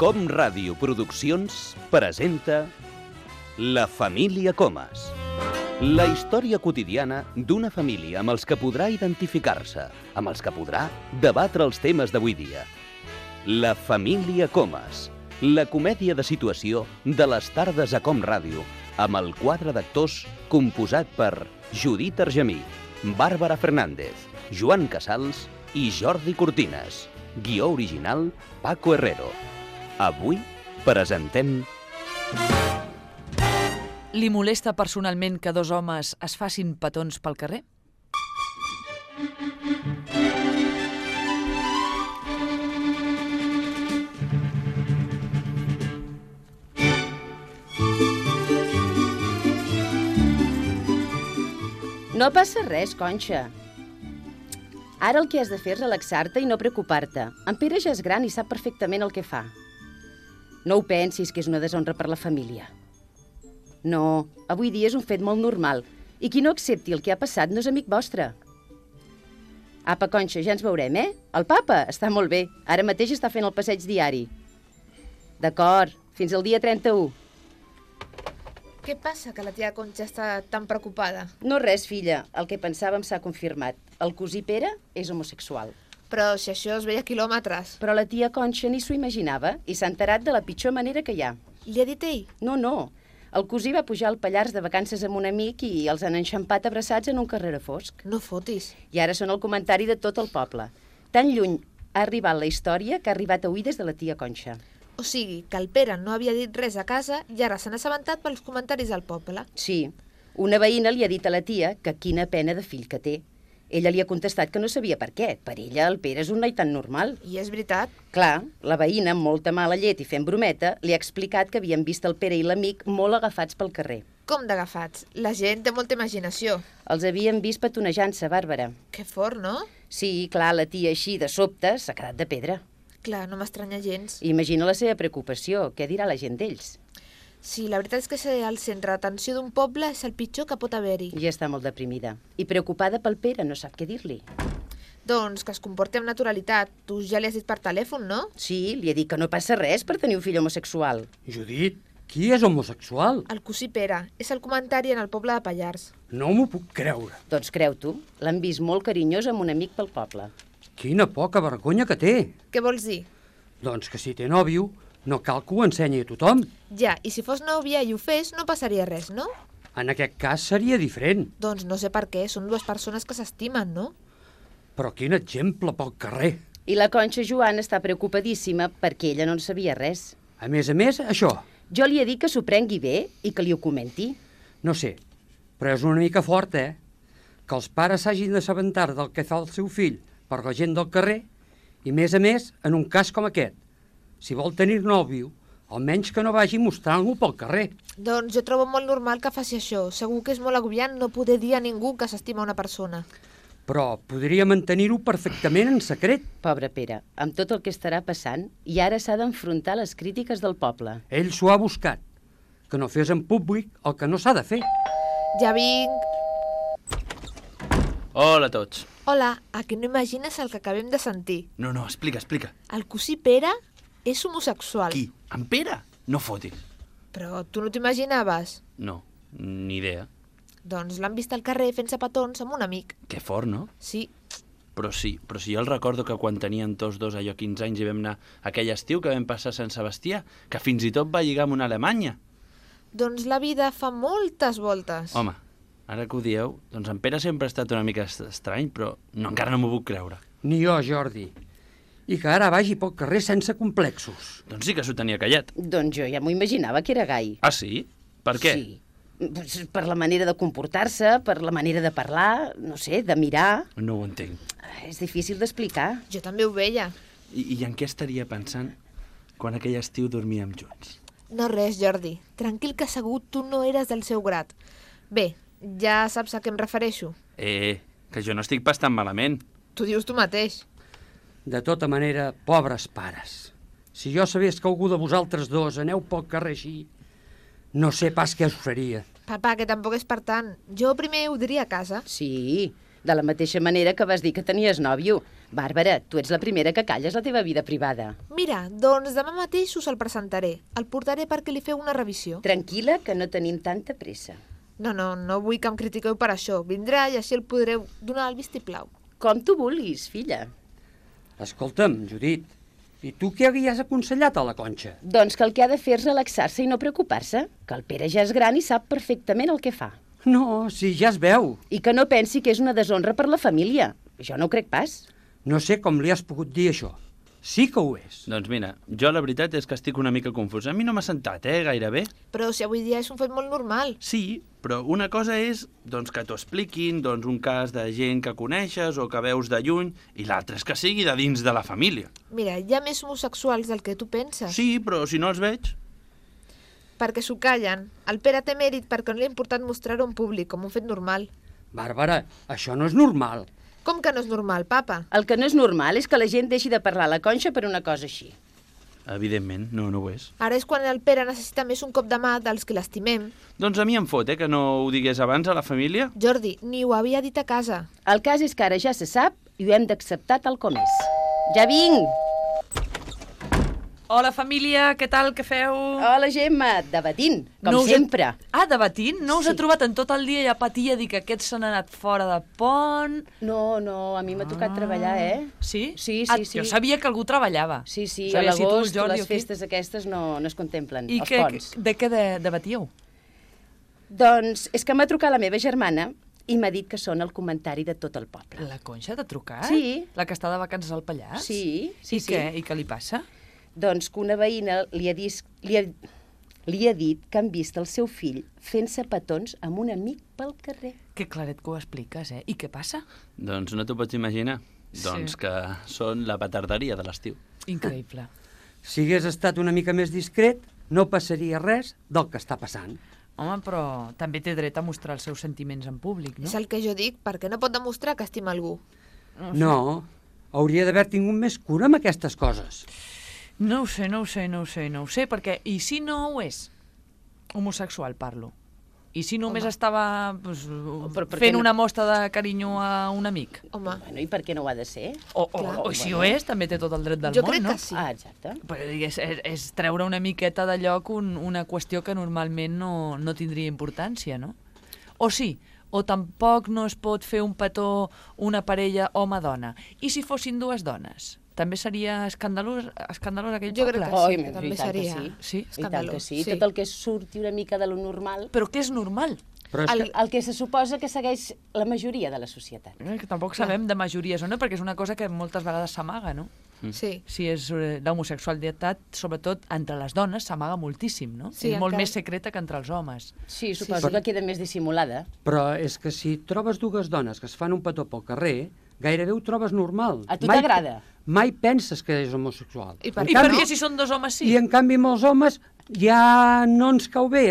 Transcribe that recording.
Com Ràdio Produccions presenta La família Comas. La història quotidiana d'una família amb els que podrà identificar-se, amb els que podrà debatre els temes d'avui dia. La família Comas, la comèdia de situació de les tardes a Com Ràdio, amb el quadre d'actors composat per Judit Argemí, Bàrbara Fernández, Joan Casals i Jordi Cortines. Guió original, Paco Herrero. Avui presentem... Li molesta personalment que dos homes es facin petons pel carrer? No passa res, Conxa. Ara el que has de fer és relaxar-te i no preocupar-te. En Pere ja és gran i sap perfectament el que fa. No ho pensis que és una deshonra per la família. No, avui dia és un fet molt normal i qui no accepti el que ha passat no és amic vostre. Apa, Conxa, ja ens veurem, eh? El papa està molt bé. Ara mateix està fent el passeig diari. D'acord, fins al dia 31. Què passa que la tia Conxa està tan preocupada? No res, filla. El que pensàvem s'ha confirmat. El cosí Pere és homosexual. Però si això es veia a quilòmetres. Però la tia Conxa ni s'ho imaginava i s'ha enterat de la pitjor manera que hi ha. Li ha dit ell? No. El cosí va pujar al Pallars de vacances amb un amic i els han enxampat abraçats en un carrer fosc. No fotis. I ara són el comentari de tot el poble. Tan lluny ha arribat la història que ha arribat a oïdes de la tia Conxa. O sigui, que el Pere no havia dit res a casa i ara s'han assabentat pels comentaris del poble. Sí. Una veïna li ha dit a la tia que quina pena de fill que té. Ella li ha contestat que no sabia per què. Per ella el Pere és un noi tan normal. I és veritat. Clar, la veïna, amb molta mala llet i fent brometa, li ha explicat que havien vist el Pere i l'amic molt agafats pel carrer. Com d'agafats? La gent té molta imaginació. Els havien vist petonejant-se, Bàrbara. Que fort, no? Sí, clar, la tia així, de sobte, s'ha quedat de pedra. Clar, no m'estranya gens. Imagina la seva preocupació. Què dirà la gent d'ells? Sí, la veritat és que ser el centre d'atenció d'un poble és el pitjor que pot haver-hi. Ja està molt deprimida. I preocupada pel Pere, no sap què dir-li. Doncs que es comporti amb naturalitat. Tu ja li has dit per telèfon, no? Sí, li he dit que no passa res per tenir un fill homosexual. Judit, qui és homosexual? El cosí Pere. És el comentari en el poble de Pallars. No m'ho puc creure. Doncs creu tu, l'han vist molt carinyós amb un amic pel poble. Quina poca vergonya que té. Què vols dir? Doncs que si té nòvio, no cal que ho ensenyi a tothom. Ja, i si fos nòvia i ho fes, no passaria res, no? En aquest cas seria diferent. Doncs no sé per què, són dues persones que s'estimen, no? Però quin exemple pel carrer. I la Conxa Joana està preocupadíssima perquè ella no en sabia res. A més, això. Jo li he dit que s'ho prengui bé i que li ho comenti. No sé, però és una mica fort, eh? Que els pares s'hagin d'assabentar del que fa el seu fill per la gent del carrer i, més a més, en un cas com aquest. Si vol tenir nòvio, almenys que no vagi mostrant-lo pel carrer. Doncs jo trobo molt normal que faci això. Segur que és molt agobiant no poder dir a ningú que s'estima una persona. Però podria mantenir-ho perfectament en secret. Pobre Pere, amb tot el que estarà passant, i ara s'ha d'enfrontar les crítiques del poble. Ell s'ho ha buscat. Que no fes en públic el que no s'ha de fer. Ja vinc. Hola a tots. Hola, a que no imagines el que acabem de sentir? No, explica. El cosí Pere és homosexual. Qui? En Pere? No fotis. Però tu no t'imaginaves? No, ni idea. Doncs l'han vist al carrer fent-se petons amb un amic. Que fort, no? Sí. Però si jo el recordo que quan tenien tots dos allò 15 anys i vam anar aquell estiu que vam passar a Sant Sebastià, que fins i tot va lligar amb una alemanya. Doncs la vida fa moltes voltes. Home, ara que ho dieu, doncs en Pere sempre ha estat una mica estrany, però encara no m'ho puc creure. Ni jo, Jordi. I que ara vagi pel carrer sense complexos. Doncs sí que s'ho tenia callat. Doncs jo ja m'ho imaginava que era gai. Ah, sí? Per què? Sí. Per la manera de comportar-se, per la manera de parlar, no sé, de mirar. No ho entenc. És difícil d'explicar. Jo també ho veia. I en què estaria pensant quan aquell estiu dormíem junts? No res, Jordi. Tranquil que segur tu no eres del seu grat. Bé, ja saps a què em refereixo. Que jo no estic pas tan malament. Tu dius tu mateix. De tota manera, pobres pares. Si jo sabés que algú de vosaltres dos aneu pel carrer així, no sé pas què us faria. Papa, que tampoc és per tant. Jo primer ho diria a casa. Sí, De la mateixa manera que vas dir que tenies nòvio. Bàrbara, tu ets la primera que calles la teva vida privada. Mira, doncs demà mateix us el presentaré. El portaré perquè li feu una revisió. Tranquil·la, que no tenim tanta pressa. No vull que em critiqueu per això. Vindrà i així el podreu donar el vistiplau. Com tu vulguis, filla. Escolta'm, Judit, i tu què havies aconsellat a la Conxa? Doncs que el que ha de fer és relaxar-se i no preocupar-se, que el Pere ja és gran i sap perfectament el que fa. No, si ja es veu. I que no pensi que és una deshonra per la família. Jo no ho crec pas. No sé com li has pogut dir això. Sí que ho és. Doncs mira, jo la veritat és que estic una mica confús. A mi no m'ha sentat, gairebé. Però si avui dia és un fet molt normal. Sí, però una cosa és doncs, que t'ho expliquin, doncs, un cas de gent que coneixes o que veus de lluny, i l'altre és que sigui de dins de la família. Mira, hi ha més homosexuals del que tu penses. Sí, però si no els veig... Perquè s'ho callen. El Pere té mèrit perquè no li ha importat mostrar-ho en públic, com un fet normal. Bàrbara, això no és normal. Com que no és normal, papa? El que no és normal és que la gent deixi de parlar a la Conxa per una cosa així. Evidentment, no ho és. Ara és quan el Pere necessita més un cop de mà dels que l'estimem. Doncs a mi em fot, que no ho digués abans a la família. Jordi, ni ho havia dit a casa. El cas és que ara ja se sap i ho hem d'acceptar tal com és. Ja vinc! Hola, família, què tal, què feu? Hola, Gemma, debatint, com No us he- sempre. Debatint? No us he trobat en tot el dia i a patir a dir que aquests s'han anat fora de pont... No, a mi m'ha tocat treballar, Sí? Sí. Jo sabia que algú treballava. Sí, a Sabia si tu, l'agost Jordi, les o qui. festes aquestes no es contemplen, I els ponts. de què debatíeu? Doncs és que m'ha trucat la meva germana i m'ha dit que són el comentari de tot el poble. La Conxa t'ha trucat? Sí. La que està de vacances al Pallars? Sí. I què? I què li passa? Doncs que una veïna li ha dit que han vist el seu fill fent-se petons amb un amic pel carrer. Que claret que ho expliques, I què passa? Doncs no t'ho pots imaginar. Sí. Doncs que són la petarderia de l'estiu. Increïble. Si hagués estat una mica més discret, no passaria res del que està passant. Home, però també té dret a mostrar els seus sentiments en públic, no? És el que jo dic, perquè no pot demostrar que estima algú. No, hauria d'haver tingut més cura amb aquestes coses. No ho sé, perquè i si no ho és? Homosexual, parlo. I si només estava Però per què fent no? una mostra de carinyo a un amic? Home, Bueno, i per què no ho ha de ser? O si ho és, també té tot el dret del jo món, crec no? que sí. Ah, exacte. Però és treure una miqueta de lloc una qüestió que normalment no tindria importància, no? O sí, o tampoc no es pot fer un petó una parella home-dona. I si fossin dues dones? També seria escandalós aquell Jo poble? crec que sí, Ai, que també i tant que seria sí. Sí? I tant que escandalós. sí. Tot el que surti una mica de lo normal, Però què és normal? Però és el que se suposa que segueix la majoria de la societat. Que tampoc sabem de majories o no, perquè és una cosa que moltes vegades s'amaga, no? Sí. Si és l'homosexualitat, sobretot entre les dones, s'amaga moltíssim, no? Sí, és molt encara. més secreta que entre els homes. Sí, suposo que queda més dissimulada. Però és que si trobes dues dones que es fan un petó pel carrer, gairebé ho trobes normal. A tu t'agrada? Mai penses que és homosexual. I per I què per no? què si són dos homes sí? I en canvi amb els homes ja no ens cau bé